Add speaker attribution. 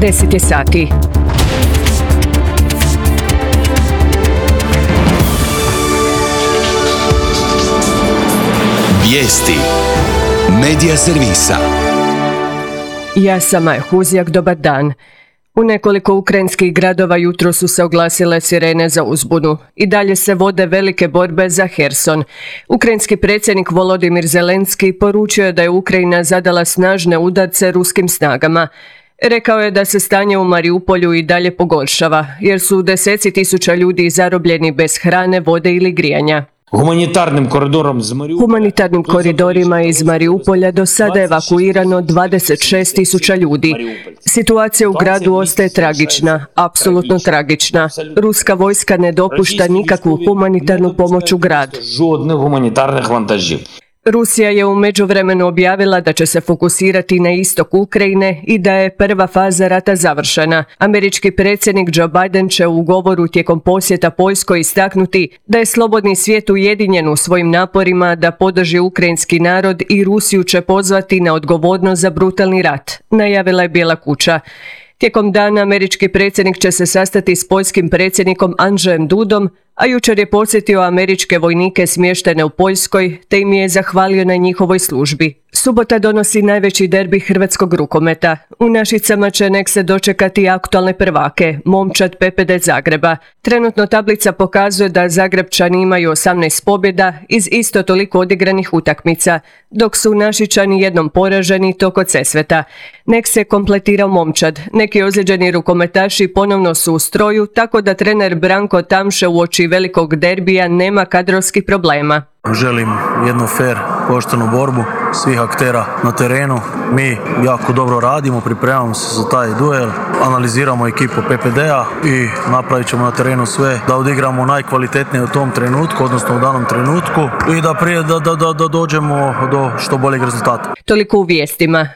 Speaker 1: 10 je sati.
Speaker 2: Vijesti Medija servisa.
Speaker 1: Ja sam Maja Huzjak, dobar dan. U nekoliko ukrajinskih gradova jutro su se oglasile sirene za uzbunu. I dalje se vode velike borbe za Herson. Ukrajinski predsjednik Volodimir Zelenski poručio je da je Ukrajina zadala snažne udarce ruskim snagama. Rekao je da se stanje u Mariupolju i dalje pogoršava, jer su deseci tisuća ljudi zarobljeni bez hrane, vode ili grijanja. Humanitarnim koridorima iz Mariupolja do sada je evakuirano 26 tisuća ljudi. Situacija u gradu ostaje tragična, apsolutno tragična. Ruska vojska ne dopušta nikakvu humanitarnu pomoć u grad. Rusija je u međuvremenu objavila da će se fokusirati na istok Ukrajine i da je prva faza rata završena. Američki predsjednik Joe Biden će u govoru tijekom posjeta Poljskoj istaknuti da je slobodni svijet ujedinjen u svojim naporima da podrži ukrajinski narod i Rusiju će pozvati na odgovornost za brutalni rat, najavila je Bijela kuća. Tijekom dana američki predsjednik će se sastati s poljskim predsjednikom Andžejem Dudom, a jučer je posjetio američke vojnike smještene u Poljskoj, te im je zahvalio na njihovoj službi. Subota donosi najveći derbi hrvatskog rukometa. U Našicama će nek se dočekati aktualne prvake, Momčad PPD Zagreba. Trenutno tablica pokazuje da Zagrebčani imaju 18 pobjeda iz isto toliko odigranih utakmica, dok su Našičani jednom poraženi to kod Sesveta. Nek se kompletirao Momčad. Neki ozlijeđeni rukometaši ponovno su u stroju, tako da trener Branko Tamše uoči velikog derbija nema kadrovskih problema.
Speaker 3: Želim jednu fair, poštenu borbu svih aktera na terenu. Mi jako dobro radimo, pripremamo se za taj duel, analiziramo ekipu PPD-a i napravit ćemo na terenu sve da odigramo najkvalitetnije u tom trenutku, odnosno u danom trenutku i da dođemo do što boljeg rezultata.
Speaker 1: Toliko u vijestima.